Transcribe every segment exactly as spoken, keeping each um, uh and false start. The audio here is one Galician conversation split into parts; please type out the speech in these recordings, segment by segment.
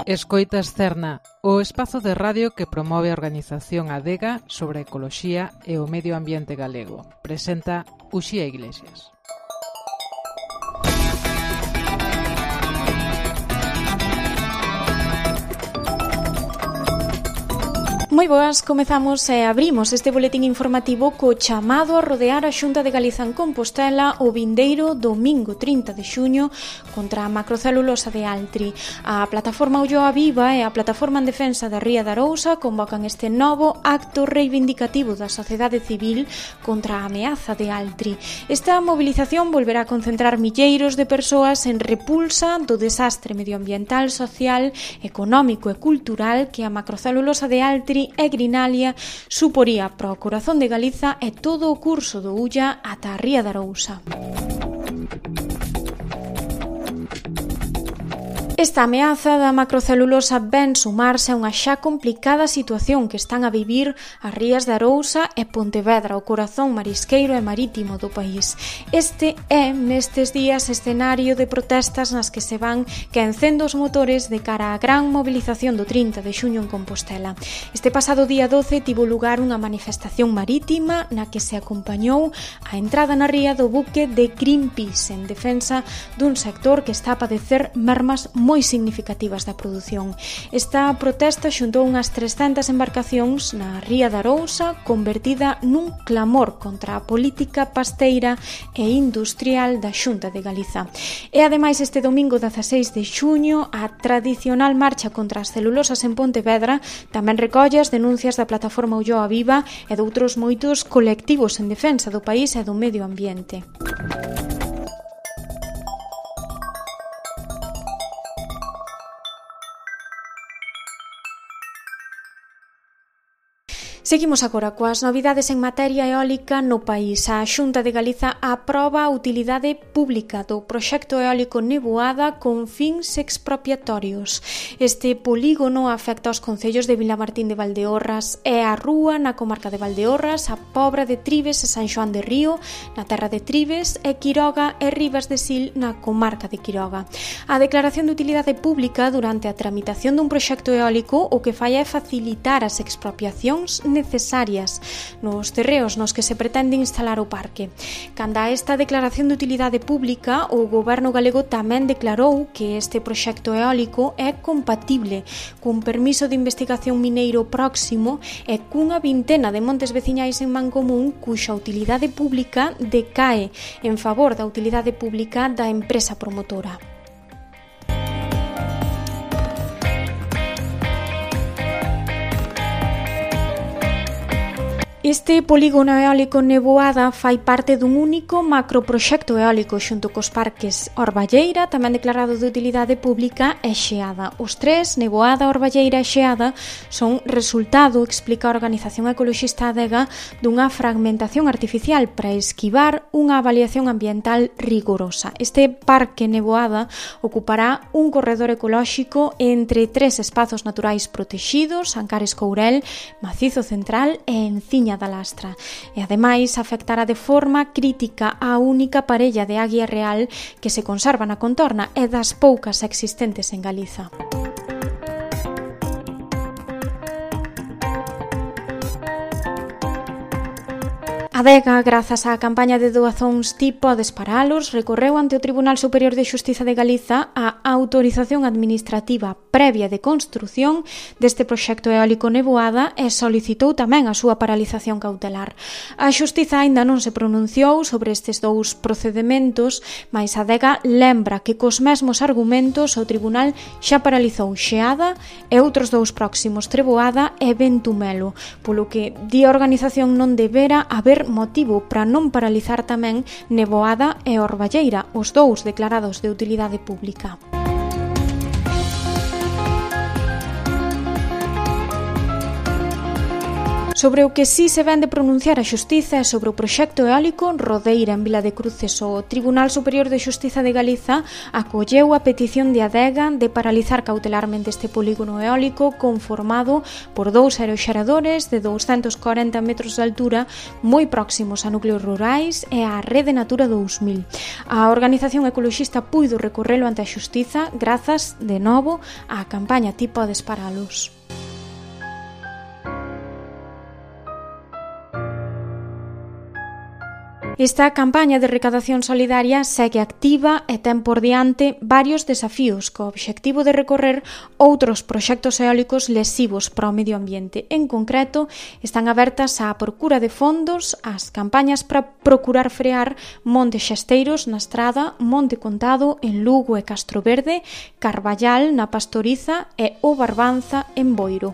Escoitas Cerna, o espazo de radio que promove a organización Adega sobre a ecoloxía e o medio ambiente galego. Presenta Uxía Iglesias. Moi boas, comezamos e abrimos este boletín informativo co chamado a rodear a Xunta de Galiza en Compostela o vindeiro domingo trinta de xuño contra a macrocelulosa de Altri. A plataforma Ulloa Viva e a plataforma en defensa da Ría de Arousa convocan este novo acto reivindicativo da sociedade civil contra a ameaza de Altri. Esta movilización volverá a concentrar milleiros de persoas en repulsa do desastre medioambiental, social, económico e cultural que a macrocelulosa de Altri e Grinalia suporía para o corazón de Galiza e todo o curso do Ulla ata a Ría de Arousa. Esta ameaza da macrocelulosa ven sumarse a unha xa complicada situación que están a vivir as rías de Arousa e Pontevedra, o corazón marisqueiro e marítimo do país. Este é, nestes días, escenario de protestas nas que se van quencendo os motores de cara á gran mobilización do trinta de xuño en Compostela. Este pasado día doce tivo lugar unha manifestación marítima na que se acompañou a entrada na ría do buque de Greenpeace en defensa dun sector que está a padecer mermas moi significativas da produción. Esta protesta xuntou unhas trescentas embarcacións na ría de Arousa, convertida nun clamor contra a política pasteira e industrial da Xunta de Galiza. E ademais este domingo dezaseis de xuño a tradicional marcha contra as celulosas en Pontevedra tamén recolle as denuncias da plataforma Ulloa Viva e de outros moitos colectivos en defensa do país e do medio ambiente. Seguimos agora coas novidades en materia eólica no país. A Xunta de Galiza aproba a utilidade pública do proxecto eólico Neboada con fins expropiatorios. Este polígono afecta aos concellos de Vilamartín de Valdeorras e a Rúa na comarca de Valdeorras, a Pobra de Trives e San Xoán de Río na terra de Trives e Quiroga e Ribas de Sil na comarca de Quiroga. A declaración de utilidade pública durante a tramitación dun proxecto eólico o que fai é facilitar as expropiacións necesarias nos terreos nos que se pretende instalar o parque. Canda a esta declaración de utilidade pública, o goberno galego tamén declarou que este proxecto eólico é compatible cun permiso de investigación mineiro próximo e cunha vintena de montes veciñais en Mancomún cuxa utilidade pública decae en favor da utilidade pública da empresa promotora. Este polígono eólico Neboada fai parte dun único macroproxecto eólico xunto cos parques Orballeira, tamén declarado de utilidade pública, e Xeada. Os tres, Neboada, Orballeira e Xeada, son resultado, explica a organización ecoloxista Adega, dunha fragmentación artificial para esquivar unha avaliación ambiental rigorosa. Este parque Neboada ocupará un corredor ecolóxico entre tres espazos naturais protexidos, Ancares Courel, Macizo Central e Enciña da Lastra, e ademais afectará de forma crítica a única parella de águia real que se conserva na contorna e das poucas existentes en Galiza. Adega, grazas á campaña de doazóns Ti podes paralos, recorreu ante o Tribunal Superior de Xustiza de Galiza a autorización administrativa previa de construción deste proxecto eólico Neboada e solicitou tamén a súa paralización cautelar. A Xustiza aínda non se pronunciou sobre estes dous procedementos, mais Adega lembra que cos mesmos argumentos o Tribunal xa paralizou Xeada e outros dous próximos, Treboada e Ventumelo, polo que di a organización non debera haber motivo para non paralizar tamén Neboada e Orballeira, os dous declarados de utilidade pública. Sobre o que sí se ven de pronunciar a Xustiza é sobre o proxecto eólico Rodeira en Vila de Cruces. O Tribunal Superior de Xustiza de Galiza acolleu a petición de Adega de paralizar cautelarmente este polígono eólico conformado por dous aeroxeradores de douscentos corenta metros de altura moi próximos a núcleos rurais e á Rede Natura dous mil. A organización ecoloxista puido recorrelo ante a Xustiza grazas, de novo, á campaña Ti podes paralos. Esta campaña de recadación solidaria segue activa e ten por diante varios desafíos co obxectivo de recorrer outros proxectos eólicos lesivos para o medio ambiente. En concreto, están abertas á procura de fondos as campañas para procurar frear Montes Xesteiros na Estrada, Monte Contado en Lugo e Castroverde, Carballal na Pastoriza e O Barbanza en Boiro.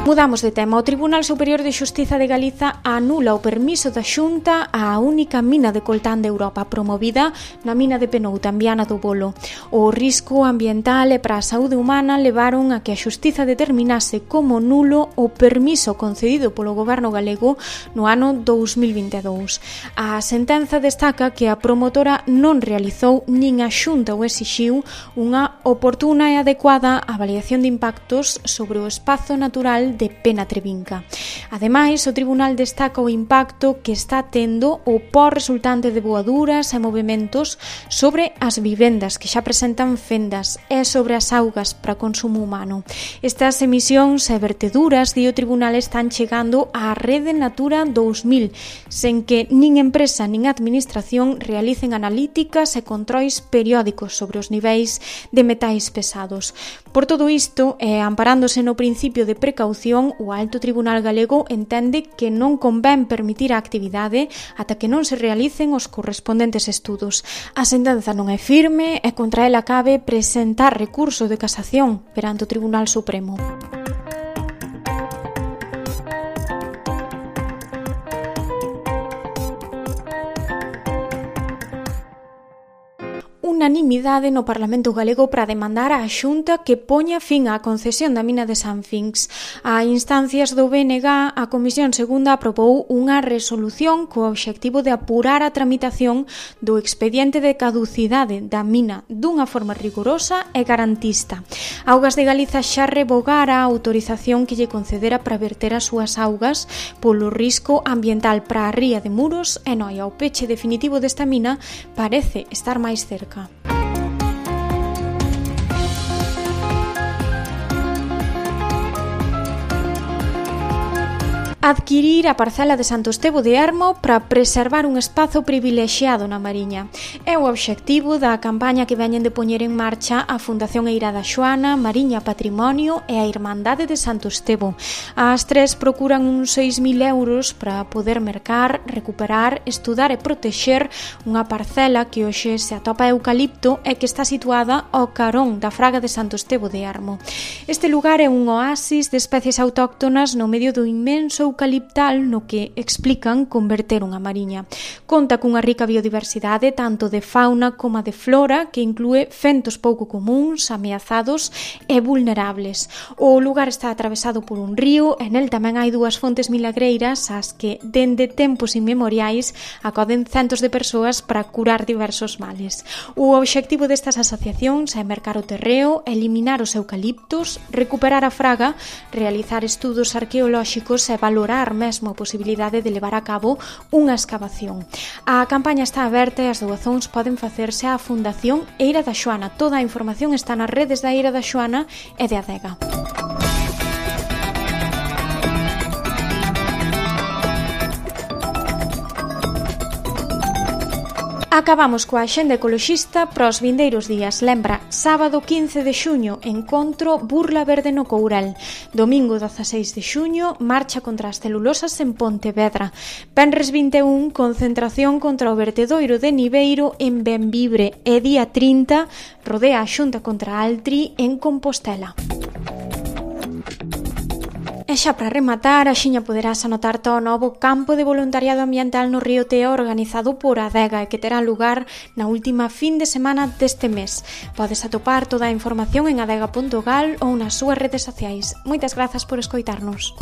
Mudamos de tema. O Tribunal Superior de Xustiza de Galiza anula o permiso da Xunta á única mina de coltán de Europa promovida na mina de Penouta, en Viana do Bolo. O risco ambiental e para a saúde humana levaron a que a Xustiza determinase como nulo o permiso concedido polo goberno galego no ano dous mil vinte e dous. A sentenza destaca que a promotora non realizou nin a Xunta o exixiu unha oportuna e adecuada avaliación de impactos sobre o espazo natural de Penatrevinca. Ademais, o tribunal destaca o impacto que está tendo o pó resultante de voaduras e movementos sobre as vivendas que xa presentan fendas e sobre as augas para consumo humano. Estas emisións e verteduras, di o tribunal, están chegando á Rede Natura dous mil, sen que nin empresa nin administración realicen analíticas e controis periódicos sobre os niveis de metais pesados. Por todo isto, e amparándose no principio de precaución, o Alto Tribunal Galego entende que non convén permitir a actividade ata que non se realicen os correspondentes estudos. A sentenza non é firme e contra ela cabe presentar recurso de casación perante o Tribunal Supremo. Unanimidade no Parlamento Galego para demandar á Xunta que poña fin á concesión da mina de Sanfinx. A instancias do B N G, a Comisión Segunda aprobou unha resolución co obxectivo de apurar a tramitación do expediente de caducidade da mina dunha forma rigorosa e garantista. Augas de Galiza xa revogara a autorización que lle concedera para verter as súas augas polo risco ambiental para a ría de Muros e Noia. O peche definitivo desta mina parece estar máis cerca. Adquirir a parcela de Santo Estevo de Ermo para preservar un espazo privilexiado na Mariña. É o obxectivo da campaña que veñen de poñer en marcha a Fundación Eira da Xoana, Mariña Patrimonio e a Irmandade de Santo Estevo. As tres procuran uns seis mil euros para poder mercar, recuperar, estudar e protexer unha parcela que hoxe se atopa eucalipto e que está situada ao carón da Fraga de Santo Estevo de Ermo. Este lugar é un oasis de especies autóctonas no medio do inmenso eucaliptal no que explican converter unha mariña. Conta cunha rica biodiversidade tanto de fauna como de flora que inclúe fentos pouco comuns, ameazados e vulnerables. O lugar está atravesado por un río e nel tamén hai dúas fontes milagreiras ás que dende tempos inmemoriais acoden centos de persoas para curar diversos males. O obxectivo destas asociacións é mercar o terreo, eliminar os eucaliptos, recuperar a fraga, realizar estudos arqueolóxicos e valorar mesmo a posibilidade de levar a cabo unha escavación. A campaña está aberta e as doazóns poden facerse á Fundación Eira da Xoana. Toda a información está nas redes da Eira da Xoana e de Adega. Acabamos coa axenda ecoloxista para os vindeiros días. Lembra, sábado quince de xuño, encontro Burla Verde no Courel. Domingo dezaseis de xuño, marcha contra as celulosas en Pontevedra. Venres vinte e un, concentración contra o vertedoiro de Niveiro en Benvibre. E día trinta, rodea a Xunta contra Altri en Compostela. E xa para rematar, axiña poderás anotarte ao novo campo de voluntariado ambiental no Río Teo organizado por Adega e que terá lugar na última fin de semana deste mes. Podes atopar toda a información en adega punto gal ou nas súas redes sociais. Moitas grazas por escoitarnos.